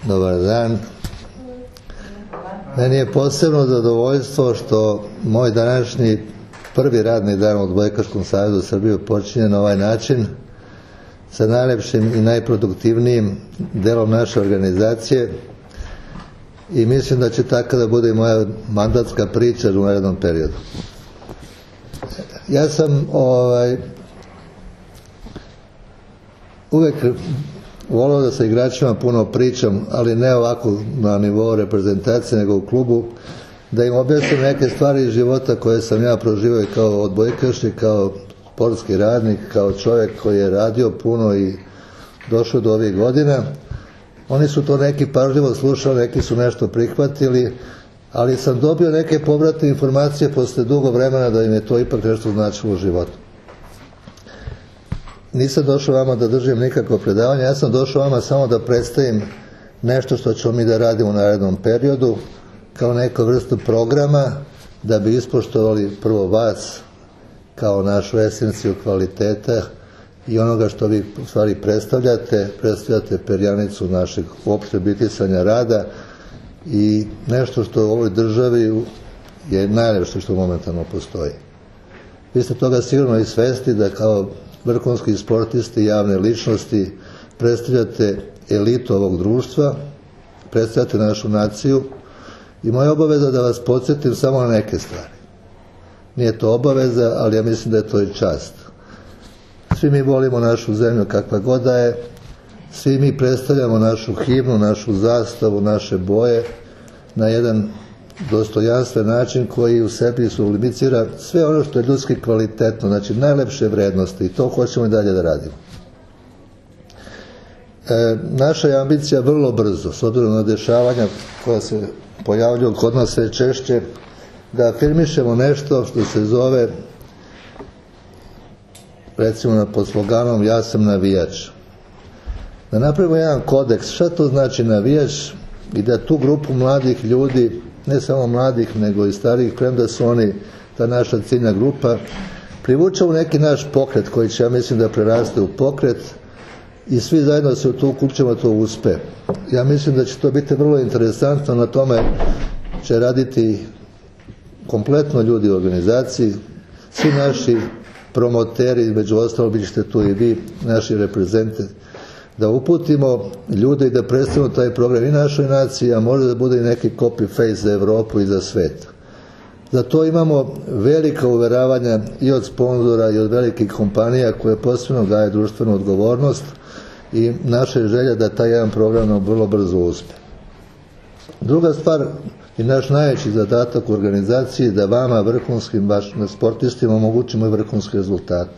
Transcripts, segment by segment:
Dobar dan. Meni je posebno zadovoljstvo što moj današnji prvi radni dan u Odbojkaškom savezu Srbije počinje na ovaj način sa najlepšim i najproduktivnijim delom naše organizacije i mislim da će tako da bude i moja mandatska priča u narednom periodu. Ja sam uvek voleo da sa igračima puno pričam, ali ne ovako na nivou reprezentacije, nego u klubu, da im objasnim neke stvari iz života koje sam ja proživio i kao odbojkaš i kao sportski radnik, kao čovjek koji je radio puno i došao do ovih godina. Oni su to neki pažljivo slušali, neki su nešto prihvatili, ali sam dobio neke povratne informacije posle dugo vremena da im je to ipak nešto značilo u životu. Nisam došao vama da držim nikakvo predavanje, ja sam došao vama samo da predstavim nešto što ćemo mi da radimo u narednom periodu, kao neku vrstu programa, da bi ispoštovali prvo vas, kao našu esenciju kvaliteta i onoga što vi u stvari predstavljate perjanicu našeg uopšte bitisanja rada i nešto što u ovoj državi je najlepše što momentalno postoji. Vi ste toga sigurno i svesni da kao vrhunski sportisti, javne ličnosti predstavljate elitu ovog društva, predstavljate našu naciju i moja obaveza da vas podsjetim samo na neke stvari. Nije to obaveza, ali ja mislim da je to i čast. Svi mi volimo našu zemlju kakva god da je, svi mi predstavljamo našu himnu, našu zastavu, naše boje na jedan dostojanstven način koji u sebi sublimicira sve ono što je ljudski kvalitetno, znači najlepše vrednosti i to hoćemo i dalje da radimo. Naša je ambicija vrlo brzo, s obzirom na dešavanja koja se pojavljuju kod nas sve češće, da afirmišemo nešto što se zove, recimo pod sloganom ja sam navijač. Da napravimo jedan kodeks, šta to znači navijač i da tu grupu mladih ljudi, ne samo mladih nego i starijih, premda su oni ta naša ciljna grupa, privučemo neki naš pokret koji će, ja mislim, da preraste u pokret i svi zajedno se u to uključimo, to uspe. Ja mislim da će to biti vrlo interesantno, na tome će raditi kompletno ljudi u organizaciji, svi naši promoteri, među ostalo bit ćete tu i vi, naši reprezentati, da uputimo ljude i da predstavimo taj program i našoj naciji, a može da bude i neki copy-paste za Evropu i za svet. Za to imamo velika uveravanja i od sponzora i od velikih kompanija koje posebno gaje društvenu odgovornost i naša je želja da taj jedan program vrlo brzo uspe. Druga stvar i naš najveći zadatak u organizaciji da vama, vrhunskim sportistima, omogućimo i vrhunske rezultate.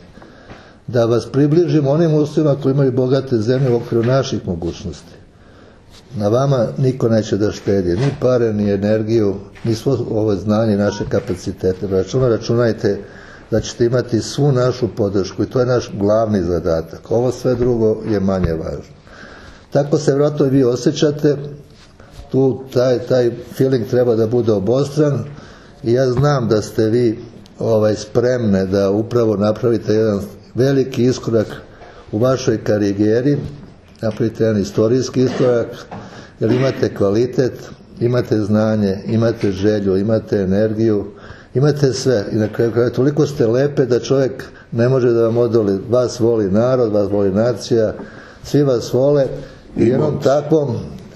Da vas približimo onim uslovima koji imaju bogate zemlje u okviru naših mogućnosti. Na vama niko neće da štedi, ni pare, ni energiju, ni svo ovo znanje i naše kapacitete. Računajte da ćete imati svu našu podršku i to je naš glavni zadatak. Ovo sve drugo je manje važno. Tako se vjerojatno i vi osjećate, tu taj feeling treba da bude obostran i ja znam da ste vi spremne da upravo napravite jedan veliki iskorak u vašoj karijeri, napravite jedan istorijski iskorak, jer imate kvalitet, imate znanje, imate želju, imate energiju, imate sve i na kraju kraja toliko ste lepe da čovjek ne može da vam odoli. Vas voli narod, vas voli nacija, svi vas vole i u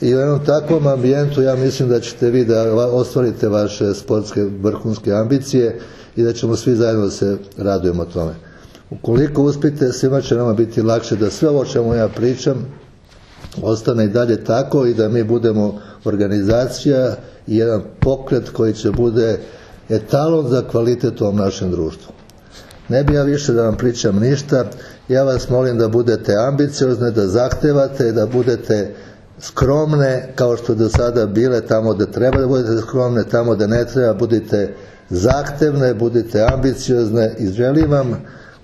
jednom takvom ambijentu ja mislim da ćete vi da ostvarite vaše sportske vrhunske ambicije i da ćemo svi zajedno se radujemo tome. Ukoliko uspite, svima će nama biti lakše da sve ovo o čemu ja pričam ostane i dalje tako i da mi budemo organizacija i jedan pokret koji će bude etalon za kvalitet u ovom našem društvu. Ne bi ja više da vam pričam ništa, ja vas molim da budete ambiciozne, da zahtevate, da budete skromne kao što do sada bile tamo da treba da budete skromne, tamo da ne treba budite zahtevne, budite ambiciozne i želim vam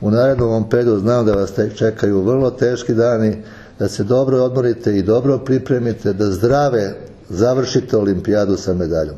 u narednom periodu, znam da vas čekaju vrlo teški dani, da se dobro odmorite i dobro pripremite, da zdrave završite olimpijadu sa medaljom.